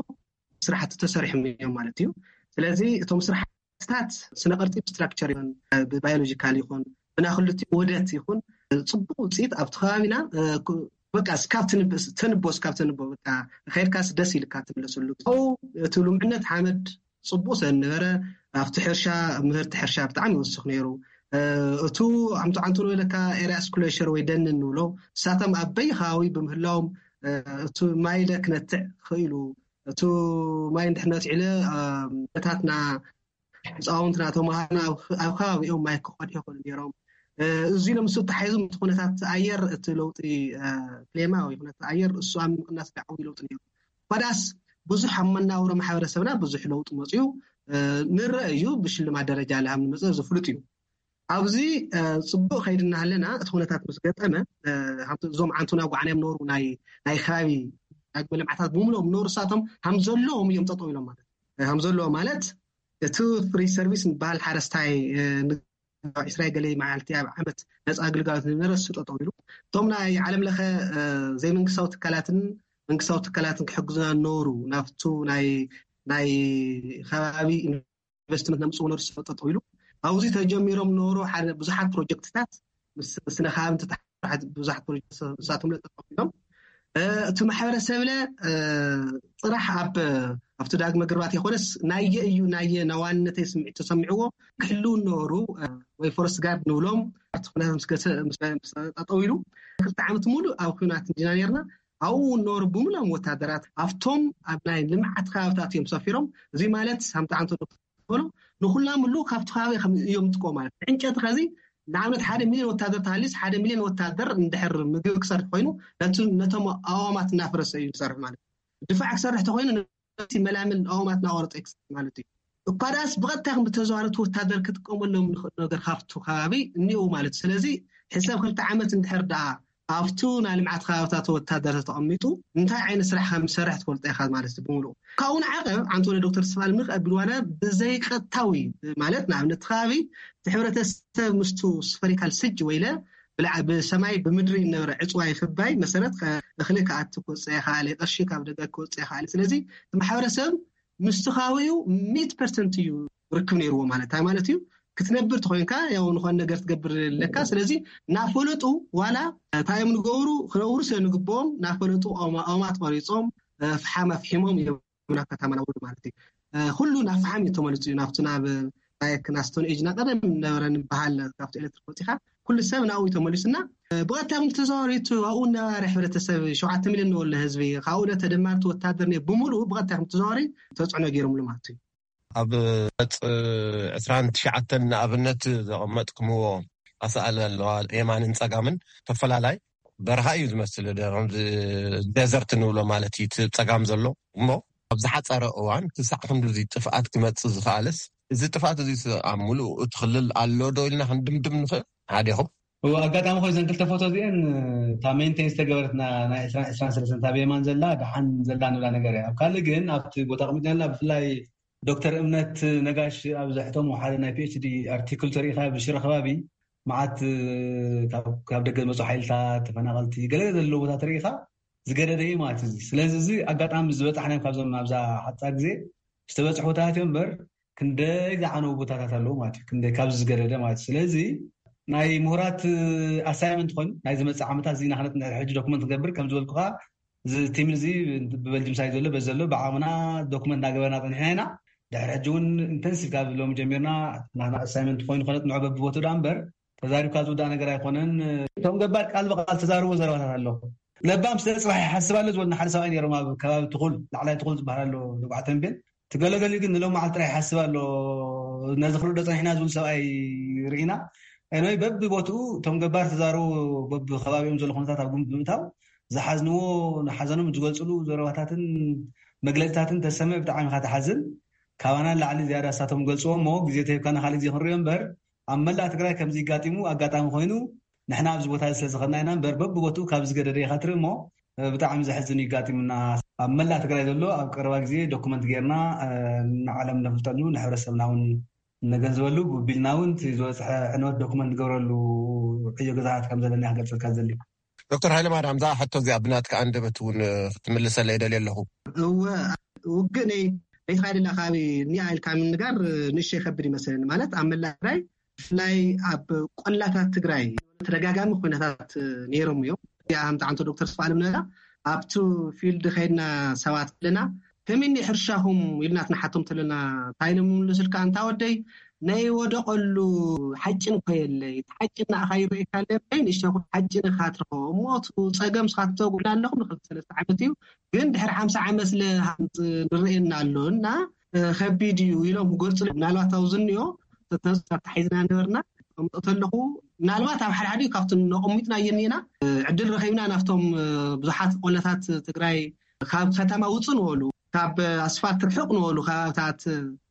ስራሕቲ ተሰሪሖም እዮም ማለት እዩ። ስለዚ እቶም ስራሕትታት ስነ ቅርፂ ብስትራክቸር ይኹን ብባዮሎጂካል ይኹን ብናክልቲ ውህደት ይኹን ፅቡቅ ውፅኢት ኣብቲ ከባቢና በቃ ስካብ ተንቦ ስካብ ተንቦ በቃ ከይድካስ ደስ ኢልካ ትምለሰሉ። እቲ ልምዕነት ሓመድ ፅቡቅ ስለ ዝነበረ ኣብቲ ሕርሻ ምህርቲ ሕርሻ ብጣዕሚ ይወስኽ ነይሩ። እቱ ዓምቱ ዓንቱ ንበለካ ኤሪያ ስኩሌሸር ወይ ደን ንብሎ እሳቶም ኣብ በይ ከባቢ ብምህላዎም እቲ ማይ ለ ክነትዕ ክኢሉ። እቲ ማይ እንድሕር ነትዒለ ነታትና ህፃውንትና ተምሃርና ኣብ ከባቢኦም ማይ ክቀድሑ ይኽእሉ ነይሮም። እዚ ለምሱ ተሓይዙ እቲ ኩነታት ኣየር እቲ ለውጢ ክሌማ ወይ ኩነታት ኣየር እሱ ኣብ ምቅናስ ዓብዪ ለውጢ ነይሩ። ባዳስ ብዙሕ ኣብ መናብሮ ማሕበረሰብና ብዙሕ ለውጢ መፅዩ ንረአ እዩ። ብሽልማት ደረጃ ለሃም ንመፀ ዝፍሉጥ እዩ። ኣብዚ ፅቡቅ ከይድና ኣለና እቲ ኩነታት ምስ ገጠመ እዞም ዓንቱና ጓዕና እዮም ነሩ ናይ ከባቢ ዳግመ ልምዓታት ብምሎም ነሩ እሳቶም ሃም ዘለዎም እዮም ጠጠው ኢሎም ማለት ሃም ዘለዎ ማለት እቲ ፍሪ ሰርቪስ ዝበሃል ሓረስታይ ዕስራ ገለ መዓልቲ ኣብ ዓመት ነፃ ኣገልጋሎት ዝነበረ እሱ ጠጠው ኢሉ እቶም ናይ ዓለም ለኸ ዘይመንግስታዊ ትካላትን መንግስታዊ ትካላትን ክሕግዙና ነሩ ናብቱ ናይ ናይ ከባቢ ኢንቨስትመንት ነምፅኡ ነሩ እሱ ጠጠው ኢሉ ኣብዚ ተጀሚሮም ነሩ ሓደ ብዙሓት ፕሮጀክትታት ምስ ስነ ከባቢ ብዙሓት ፕሮጀክትሳቶም ጠጠው ኢሎም እቲ ማሕበረሰብ ለ ፅራሕ ኣብ ኣብቲ ዳግመ ግርባት ይኮነስ ናየ እዩ ናየ ናዋነተይ ስምዒት ተሰሚዕዎ ክሕልው ነበሩ ወይ ፎረስት ጋርድ ንብሎም ኣብቲ ኩነታት ምስ ጠጠው ኢሉ ክልተ ዓመት ሙሉ ኣብ ኩናት እንዲና ነርና። ኣብኡ ነበሩ ብምሎም ወታደራት ኣብቶም ኣብ ናይ ልምዓት ከባብታት እዮም ሰፊሮም። እዚ ማለት ሳምቲ ዓንቶ በሎ ንኩላምሉ ካብቲ ከባቢ እዮም ዝጥቀሙ ማለት ዕንጨቲ ከዚ ንኣብነት ሓደ ሚሊዮን ወታደር ተሃሊስ ሓደ ሚሊዮን ወታደር እንድሕር ምግቢ ክሰርሕ ኮይኑ ነቶም ኣዋማት እናፈረሰ እዩ ዝሰርሕ ማለት ድፋዕ ክሰርሕ ተኮይኑ ነቲ መላምል ኣዋማት እናቆረጠ ክሰርሕ ማለት እዩ። እኳ ደኣስ ብቐጥታ ከም ብተዘዋረቲ ወታደር ክጥቀመሎም ንኽእል ነገር ካብቱ ከባቢ እኒኡ ማለት እዩ። ስለዚ ሕሰብ ክልተ ዓመት እንድሕር ደኣ ኣብቱ ናይ ልምዓት ከባብታት ወታደር ተቐሚጡ እንታይ ዓይነት ስራሕ ከም ዝሰርሕ ትፈልጦ ኢኻ ማለት እዩ ብምሉእ። ካብኡ ንዓቐብ ዓንቶለ ዶክተር ተስፋኣለም ንኽቐብል ዋላ ብዘይቀጥታዊ ማለት ንኣብነት እቲ ከባቢ እቲ ሕብረተሰብ ምስቱ ስፈሪካል ስጅ ወይለ ብልዓ ብሰማይ ብምድሪ ነበረ ዕፅዋ ይኽባይ መሰረት ከ- እኽሊ ክኣቲ ክወፅእ ይኽኣል እዩ፣ ቅርሺ ካብ ደገ ክወፅእ ይኽኣል እዩ። ስለዚ እቲ ማሕበረሰብ ምስቲ ከባቢኡ ሚት ፐርሰንት እዩ ርክብ ነይርዎ። ማለት እንታይ ማለት እዩ? ክትነብር ተኮይንካ ያው ንኾን ነገር ትገብር ኣለካ። ስለዚ ናፈለጡ ዋላ እንታይ እዮም ንገብሩ ክነብሩ ስለ ንግብኦም ናፈለጡ ኦማ- ኦማት ቆሪፆም እ፣ ፍሓም ኣፍሒሞም እዮም ናብ ከተማ ናውርዱ ማለት እዩ። እ፣ ኩሉ ናብ ፍሓም እዩ ተመልሱ እዩ ናብቲ ናብ ባየክ ናስቶን ኤጅ ና ቀደም ነበረ ንበሃል ካብቲ ኤሌክትሪክ ወፂኻ ኩሉ ሰብ ናብኡ እዩ ተመሊሱና። እ፣ ብቐጥታ እውን ተዘዋወሪቱ ኣብኡ ነባሪ ሕብረተሰብ ሸውዓተ ሚሊዮን ንወለ ህዝቢ ካብኡ ነ ተደማርቲ ወታደር ነ ብምሉኡ ብቐጥታ ከም ተዘዋወሪ ተፅዕኖ ገይሮምሉ ማለት እዩ። ኣብ ገጽ ዕስራን ትሽዓተን ንኣብነት ዘቐመጥኩምዎ ኣሰኣል ኣለዋ። የማንን ጸጋምን ተፈላላይ በረኻ እዩ ዝመስል። ደ- ከምዚ ደዘርት ንብሎ ማለት እዩ እቲ ጸጋም ዘሎ። እሞ ኣብ ዝሓጸረ እዋን ክሳዕ ክንድዚ ጥፍኣት ክመጽእ ዝኽኣልስ፣ እዚ ጥፍኣት እዚ ኣብ ምሉእ እቲ ክልል ኣሎ ዶ ኢልና ክንድምድም ንኽእል? ሓዴኹም? እዎ፣ ኣጋጣሚ ኮይኑ እዘን ክልተ ፎቶ እዚአን እታ ሜንቴን ዝተገበረት ና- ናይ ዕስራን ዕስራን ሰለስተን እታ ብየማን ዘላ ደሓን ዘላ ንብላ ነገር እያ። ኣብ ካልእ ግን ኣብቲ ቦታ ኣቕሚጥና ብፍላይ ዶክተር እምነት ነጋሽ ኣብ ዘሕተሙ ሓደ ናይ ፒኤችዲ ኣርቲክል ተሪኢኻ ብሽረ ከባቢ መዓት ካብ ደገ ዝመፁ ሓይልታት ተፈናቐልቲ ገለ ዘለዎ ቦታ ተሪኢኻ ዝገደደ እዩ ማለት እዩ። ስለዚ እዚ ኣጋጣሚ ዝበፃሕናዮም ካብዞም ኣብዛ ሓፃር ግዜ ዝተበፅሑ ቦታታት እዮም እምበር ክንደይ ዝዓነው ቦታታት ኣለዉ ማለት እዩ። ክንደይ ካብዚ ዝገደደ ማለት እዩ። ስለዚ ናይ ምሁራት ኣሳይመንት ኮይኑ ናይ ዝመፅእ ዓመታት ዚና ክነጥንሕ ሕጂ ዶክመንት ክገብር ከም ዝበልኩኻ እዚ ቲም እዚ ብበልጅም ሳይ ዘሎ በዚ ዘሎ ብዓቕምና ዶክመንት እናገበርና ፀኒሕና ኢና። ድሕሪ ሕጂ እውን ኢንተንሲቭ ካብ ሎሚ ጀሚርና ናና ኣሳይመንት ኮይኑ ከነጥንዖ በብቦቱ ዳ እምበር ተዛሪብካ ዝውዳእ ነገር ኣይኮነን። እቶም ገባር ቃል ብቃል ተዛርቦ ዘረባታት ኣሎ። ለባም ስለ ፅባሕ ይሓስብ ኣሎ ዝበሉና ሓደ ሰብኣይ ነይሮም ኣብ ከባቢ ትኹል ላዕላይ ትኹል ዝበሃል ኣሎ ንጉዓ ተንቤን ትገለገሊ ግን ንሎም መዓልቲ ጥራይ ይሓስብ ኣሎ። ነዚ ክርዶ ፀኒሕና ዝብል ሰብኣይ ርኢና። ኤንወይ በብቦትኡ እቶም ገባር ተዛረቡ በብከባቢኦም ዘሎ ኩነታት ኣብ ግምት ብምእታው ዝሓዝንዎ ንሓዘኖም ዝገልፅሉ ዘረባታትን መግለፅታትን ተሰምዕ ብጣዕሚ ኢኻ ትሓዝን። ካባና ንላዕሊ ዝያዳ እሳቶም ገልፅዎ እሞ ግዜ ተሂብካና ካልእ ግዜ ክንሪኦ እምበር ኣብ መላእ ትግራይ ከምዚ ይጋጢሙ ኣጋጣሚ ኮይኑ ንሕና ኣብዚ ቦታ እዚ ስለዝኸድና ኢና እምበር በብቦትኡ ካብ ዝገደደ ኢኻ ትርኢ እሞ ብጣዕሚ ዘሕዝን ይጋጢሙና። ኣብ መላእ ትግራይ ዘሎ ኣብ ቀረባ ግዜ ዶኩመንት ጌርና ንዓለም ነፍልጠሉ ንሕብረተሰብና እውን ነገንዝበሉ ብቢልና እውን ዝበፅሐ ዕንወት ዶኩመንት ንገብረሉ ዕዮ ገዛታት ከም ዘለና ክገልፀልካ ዝደሊ። ዶክተር ሃይለማርያም እዛ ሕቶ እዚኣ ብናትካ ኣንደበት እውን ክትምልሰለይ ይደልየ ኣለኹ። እወ ውግእ ነይ ነይትኻ ደላ ከባቢ እኒኣ ኢልካ ምንጋር ንእሽተይ ከብድ ይመስለኒ። ማለት ኣብ መላእ ትግራይ ብፍላይ ኣብ ቆላታት ትግራይ ተደጋጋሚ ኩነታት ነይሮም እዮም። እዚኣ ከምቲ ዓንቶ ዶክተር ስፋልም ነላ ኣብቲ ፊልድ ከይድና ሰባት ኣለና ከመይ ሕርሻኹም ኢልና ትንሓቶም ተለና እንታይ ኢሎም ምልስልካ እንታ ወደይ ናይ ወደቐሉ ሓጭን እኮ የለይ። እቲ ሓጭን ንኣኻ ይረእካ ኣለበይ ንእሽተኹም ሓጭን ኢኻ ትረኸቦ እሞ እቲ ፀገም ስኻትተጉዕና ኣለኹም ንክልተ ሰለስተ ዓመት እዩ ግን ድሕሪ ሓምሳ ዓመት ስለ ንረእየና ኣሎ እና ከቢድ እዩ ኢሎም ክገልፁ ምናልባት ኣብዚ እኒኦ ተተሓሒዝና ነበርና። ከምጠ ተለኹ ምናልባት ኣብ ሓደ ሓደ ካብቲ ነቐሚጥና የኒና ዕድል ረኺብና ናብቶም ብዙሓት ቆለታት ትግራይ ካብ ከተማ ውፁ ንበሉ ካብ ኣስፋልት ርሑቕ ንበሉ ከባብታት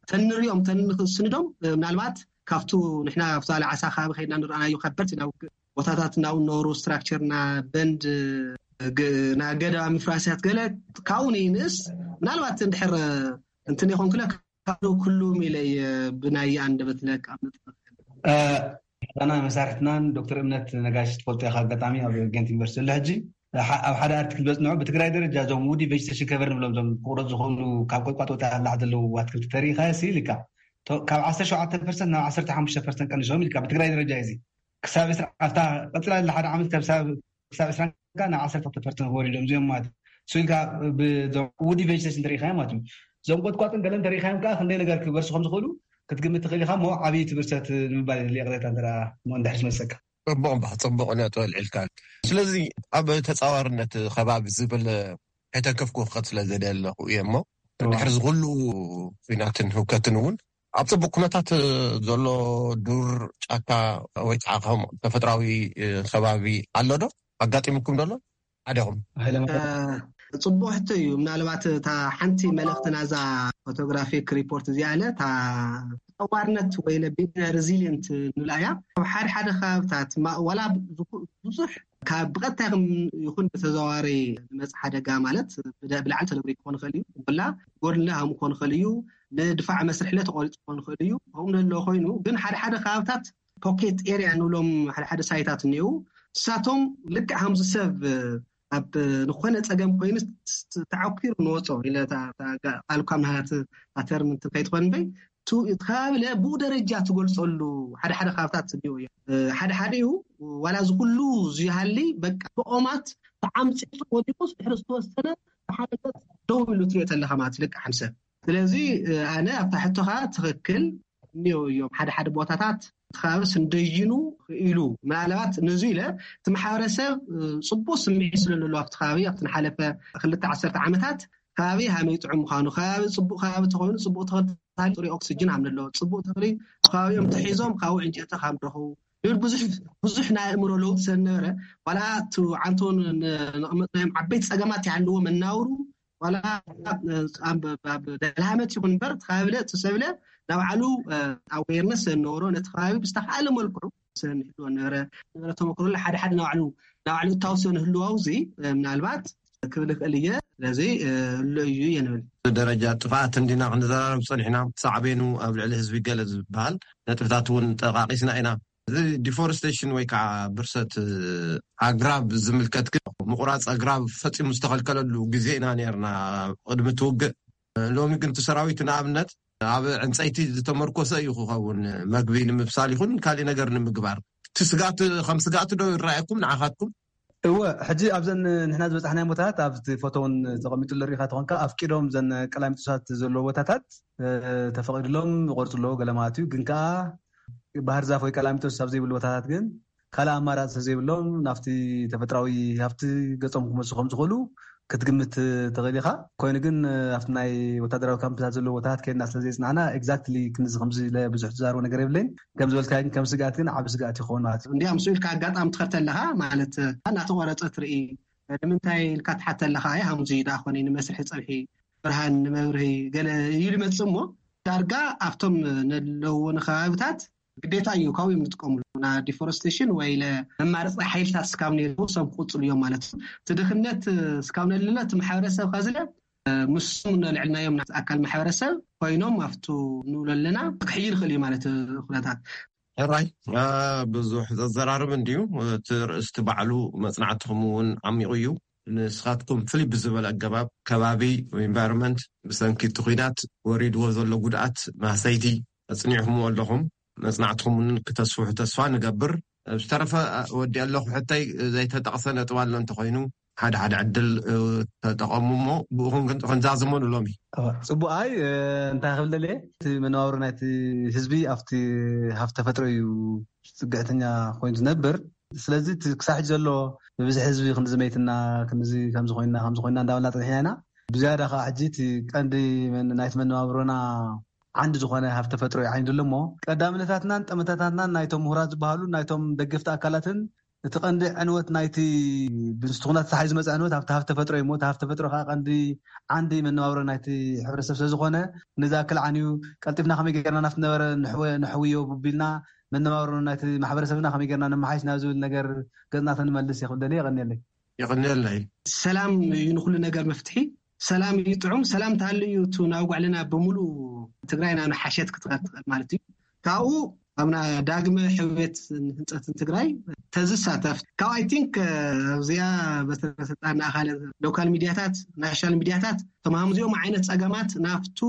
ተንሪኦም ተንስንዶም ምናልባት ካብቱ ንሕና ኣብቲ ዓሳ ከባቢ ከይድና ንረኣናዮ ከበድቲ ናብ ቦታታት እናው ነበሩ ስትራክቸር ና በንድ ና ገደባ ምፍራስያት ገለ ካብኡ ንይንእስ ምናልባት እንድሕር እንትን ይኾንኩለ ካብ ኩሉም ኢለ ብናይ ኣንደበት ለቃ ጣና መሳርሕትናን ዶክተር እምነት ነጋሽ ትፈልጦ ኢኻ ኣጋጣሚ ኣብ ጌንት ዩኒቨርሲቲ ዘሎ ሕጂ ኣብ ሓደ ኣርቲክል በፅንዑ ብትግራይ ደረጃ እዞም ውዲ ቬጅቴሽን ከቨር ንብሎም እዞም ክቁረፅ ዝኽእሉ ካብ ቆጥቋጥ ወፃኢ ኣላዕ ዘለዉ ኣትክልቲ ተሪኢኻ ሲ ኢልካ ካብ ዓሰርተ ሸውዓተ ፐርሰንት ናብ ዓሰርተ ሓሙሽተ ፐርሰንት ቀንሶም ኢልካ ብትግራይ ደረጃ እዚ ክሳብ ዕስራ ኣብታ ቀፅላ ዘላ ሓደ ዓመት ክሳብ ዕስራ ካብ ዓሰርተ ፐርሰንት ወሪዶም እዚኦም ማለት እዩ ኢልካ ብዞም ውዲ ቬጅቴሽን ተሪኢኻዮም ማለት እዩ እዞም ቆጥቋጥን ገለን ተሪኢኻዮም ከዓ ክንደይ ነገር ክበርሱ ከም ዝኽእሉ ክትግምት ትኽእል ኢኻ እሞ ዓብዪ ትብርሰት ንምባል የድሊ ቅሬታ እንተ እሞ እንድሕር ዝመሰካ ፅቡቕ እምባ ፅቡቕ ነጥቢ ኣልዒልካ። ስለዚ ኣብ ተፃዋርነት ከባቢ ዝብል ከይተንከፍኩ ክኸድ ስለ ዘደ ኣለኹ እየ እሞ ድሕሪ ዝኩሉ ፊናትን ህውከትን እውን ኣብ ፅቡቅ ኩነታት ዘሎ ዱር ጫካ ወይ ከዓ ከም ተፈጥራዊ ከባቢ ኣሎ ዶ ኣጋጢምኩም ዶ ኣሎ? ሓደኹም ጽቡቅ ሕቶ እዩ። ምናልባት እታ ሓንቲ መልእክቲ ናዛ ፎቶግራፊክ ሪፖርት እዚኣ ለ እታ ተጠዋርነት ወይ ቢና ሬዚሊየንት ንብላ እያ። ኣብ ሓደ ሓደ ከባብታት ዋላ ብዙሕ ካብ ብቐጥታ ይኹን ብተዘዋዋሪ ዝመጽእ ሓደጋ ማለት ብደ- ብላዕሊ ተነብሪ ክኾን ይኽእል እዩ። ብላ ጎድለ ሃም ክኾን ይኽእል እዩ። ንድፋዕ መስርሕለ ተቆሪጹ ክኾን ይኽእል እዩ። ከምኡ ዘሎ ኮይኑ ግን ሓደ ሓደ ከባብታት ፖኬት ኤሪያ ንብሎም ሓደ ሓደ ሳይታት እኒው እሳቶም ልክዕ ሃምዚ ሰብ ኣብ ዝኾነ ጸገም ኮይኑ ተዓኪሩ ንወጾ ኢለ ቃልኳ ምሃት ኣተርምንት ከይትኾን በይ ትኸብለ ብኡ ደረጃ ትገልጸሉ ሓደ ሓደ ካብታት እኒኦ እዮም። ሓደ ሓደ እዩ ዋላ እዚ ኩሉ ዝሃሊ በቃ ብኦማት ተዓምፂ ወዲቁስ ድሕሪ ዝተወሰነ ሓደ ገፅ ደው ኢሉ ትሪኦ ተለካ ማለት ልክዕ ሓምሰብ ስለዚ ኣነ ኣብታ ሕቶኻ ትኽክል እኒኦ እዮም ሓደ ሓደ ቦታታት እቲ ከባቢ ስንደይኑ ኢሉ ምናልባት ነዚ ኢለ እቲ ማሕበረሰብ ፅቡቅ ስምዒት ስለለሎ ኣብቲ ከባቢ ኣብቲ ንሓለፈ ክልተ ዓሰርተ ዓመታት ከባቢ ሃመይ ጥዑም ምዃኑ ከባቢ ፅቡቅ ከባቢ ተኮይኑ ፅቡቅ ተኽልታሊ ፅሩይ ኦክስጅን ሃምለሎ ፅቡቅ ተኽሊ ከባቢኦም ተሒዞም ካብኡ ዕንጨቲ ካብ ንረኽቡ ይብል ብዙሕ ብዙሕ ናይ ኣእምሮ ለውጢ ስለነበረ ዋላ እቲ ዓንቶ ነቕመጥናዮም ዓበይቲ ፀገማት ይሃልዎ መናውሩ ዋላ ኣብ ደልሃመት ይኹን እምበር ተኻብለ ተሰብለ ናባዕሉ ኣዌርነስ ንገብሮ ነቲ ከባቢ ብዝተኻኣለ መልክዑ ንህልዎ ነበረ ነበረ ተመክሮለ ሓደ ሓደ ናባዕሉ ናባዕሉ እታውሶ ንህልዋው እዚ ምናልባት ክብል ይኽእል እየ ስለዚ እሎ እዩ እየ ንብል ደረጃ ጥፍኣት እንዲና ክንዘራረብ ፀኒሕና ሳዕቤኑ ኣብ ልዕሊ ህዝቢ ገለ ዝበሃል ነጥብታት እውን ጠቃቂስና ኢና እዚ ዲፎረስቴሽን ወይ ከዓ ብርሰት ኣግራብ ዝምልከት ግን ምቁራፅ ኣግራብ ፈፂሙ ዝተኸልከለሉ ግዜ ኢና ነርና ቅድሚ ትውግእ ሎሚ ግን እቲ ሰራዊት ንኣብነት ኣብ ዕንፀይቲ ዝተመርኮሰ እዩ ክኸውን መግቢ ንምብሳል ይኹን ካሊእ ነገር ንምግባር እቲ ስጋት ከም ስጋት ዶ ይረኣየኩም ንዓኻትኩም እወ ሕጂ ኣብዘን ንሕና ዝበፃሕናዮ ቦታታት ኣብቲ ፎቶ እውን ተቐሚጡ ንሪኢኻ ተኾንካ ኣፍቂዶም ዘን ቀላሚጦሳት ዘለዎ ቦታታት ተፈቒድሎም ይቆርፁ ኣለዎ ገለ ማለት እዩ ግን ከዓ ባህር ዛፍ ወይ ቀላሚጦስ ኣብ ዘይብሉ ቦታታት ግን ካልእ ኣማራፂ ስለዘይብሎም ናብቲ ተፈጥራዊ ሃፍቲ ገፆም ክመፁ ከም ዝኽእሉ ክትግምት ትኽእል ኢኻ ኮይኑ ግን ኣብቲ ናይ ወታደራዊ ካምፕታት ዘለዎ ቦታታት ከድና ስለዘይፅናዕና exactly ክንዚ ከምዚ ኢለ ብዙሕ ዝዛረቦ ነገር የብለይን ከም ዝበልካዮ ግን ከም ስግኣት ግን ዓቢ ስግኣት ይኸውን ማለት እዩ እንዲያ ምስኡ ኢልካ ኣጋጣሚ ትኸድ ተለኻ ማለት እናተቆረፀ ትርኢ ንምንታይ ኢልካ ትሓተ ኣለኻ ኣይ ሃምዚ ደኣ ኮነ ንመስርሒ ፀብሒ ብርሃን ንመብርሂ ገለ ኢሉ ይመፅእ እሞ ዳርጋ ኣብቶም ነለዎ ንከባብታት ግዴታ እዩ ካብኡ እዮም ዝጥቀምሉ ና ዲፎረስቴሽን ወይ ለ መማረፂ ሓይልታት ስካብ ነይሩ ሰብ ክቁፅሉ እዮም ማለት እዩ እቲ ድኽነት ስካብ ነለና እቲ ማሕበረሰብ ከዝለ ምስም ነልዕልናዮም ና ኣካል ማሕበረሰብ ኮይኖም ኣብቱ ንብሎ ኣለና ክሕይል ይኽእል እዩ ማለት ኩነታት ሕራይ ብዙሕ ዘዘራርብ እንድዩ እቲ ርእስቲ ባዕሉ መፅናዕትኹም እውን ዓሚቑ እዩ ንስኻትኩም ፍልይ ብዝበለ ኣገባብ ከባቢ environment ብሰንኪ እቲ ኲናት ወሪድዎ ዘሎ ጉድኣት ማህሰይቲ ኣፅኒዕኹምዎ ኣለኹም መፅናዕትኹም እውን ክተስፍሑ ተስፋ ንገብር ዝተረፈ ወዲ ኣለኹ ሕተይ ዘይተጠቕሰ ነጥብ ኣሎ እንተኮይኑ ሓደ ሓደ ዕድል ተጠቐሙ እሞ ብኡኹም ክንዛዘሞ ንሎሚ ፅቡቅ ኣይ እንታይ ክብል ደልየ እቲ መነባብሮ ናይቲ ህዝቢ ኣብቲ ሃፍቲ ተፈጥሮ እዩ ፅግዕተኛ ኮይኑ ዝነብር ስለዚ ክሳብ ሕጂ ዘሎ ብብዝሒ ህዝቢ ክንዚ መይትና ክንዚ ከምዚ ኮይና ከምዚ ኮይና እንዳበልና ፀኒሕና ኢና ብዝያዳ ከዓ ሕጂ እቲ ቀንዲ ናይቲ መነባብሮና ዓንዲ ዝኾነ ሃፍቲ ተፈጥሮ እዩ ዓይንዱ ኣሎ እሞ ቀዳምነታትናን ጠመተታትናን ናይቶም ምሁራት ዝበሃሉ ናይቶም ደገፍቲ ኣካላትን እቲ ቀንዲ ዕንወት ናይቲ ብንስቲ ኩናት ተታሒዙ ዝመፀ ዕንወት ኣብቲ ሃፍቲ ተፈጥሮ እዩ እሞ እቲ ሃፍቲ ተፈጥሮ ከዓ ቀንዲ ዓንዲ መነባብሮ ናይቲ ሕብረተሰብ ስለዝኾነ ንዝኣክል ዓንዩ ቀልጢፍና ከመይ ገርና ናብቲ ነበረ ንሕወዮ ቡቢልና መነባብሮ ናይቲ ማሕበረሰብና ከመይ ገርና ነመሓይሽ ናብ ዝብል ነገር ገፅና ተንመልስ የኽብደሊ የቐንየለይ የቐንየለይ ሰላም እዩ ንኩሉ ነገር መፍትሒ ሰላም እዩ ጥዑም ሰላም ተሃሉ እዩ እቲ ናብ ጓዕልና ብምሉእ ትግራይ ናብ ሓሸት ክትኸድ ትኽእል ማለት እዩ ካብኡ ኣብና ዳግመ ሕውየት ንህንፀትን ትግራይ ተዝሳተፍ ካብ ኣይ ቲንክ ኣብዚኣ በተሰልጣን ኣካለ ሎካል ሚድያታት ናሽናል ሚድያታት ተማምዚኦም ዓይነት ፀገማት ናፍቱ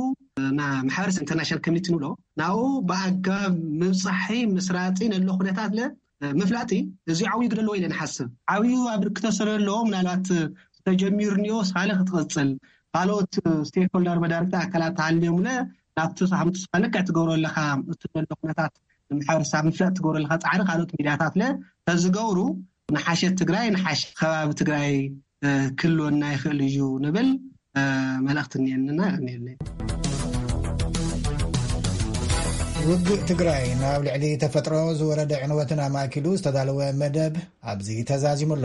ማሕበረሰብ ኢንተርናሽናል ኮሚኒቲ ንብሎ ናብኡ ብኣገባብ ምብፃሒ ምስራፂ ነሎ ኩነታት ለ ምፍላጥ እዚ ዓብዩ ግደ ኣለዎ ኢለ ንሓስብ ዓብዩ ኣብ ርክተ ስለለዎ ምናልባት ተጀሚሩ ኒኦ ሳለ ክትቐፅል ካልኦት ስቴክሆልደር መዳርግቲ ኣካላት ተሃልዮምለ ናብቲ ሳምንቱ ሳለ ክትገብሮ ኣለካ እቲ ዘሎ ኩነታት ንምሓበረሰብ ምፍላጥ ትገብሮ ኣለካ ፃዕሪ ካልኦት ሚድያታት ለ ተዝገብሩ ንሓሸት ትግራይ ንሓሸ ከባቢ ትግራይ ክልወና ይኽእል እዩ ንብል መልእኽቲ እኒአንና እኒአለይ ውግእ ትግራይ ናብ ልዕሊ ተፈጥሮ ዝወረደ ዕንወትን ኣማእኪሉ ዝተዳለወ መደብ ኣብዚ ተዛዚሙ ኣሎ።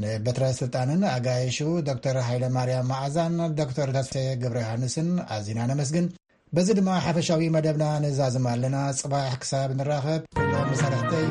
ንበትረ ስልጣንን ኣጋይሹ ዶክተር ሃይለ ማርያም መዓዛን ዶክተር ተስፋየ ገብረ ዮሃንስን ኣዚና ነመስግን። በዚ ድማ ሓፈሻዊ መደብና ንዛዝም ኣለና። ጽባሕ ክሳብ ንራኸብ ኩሎም መሳርሕተይ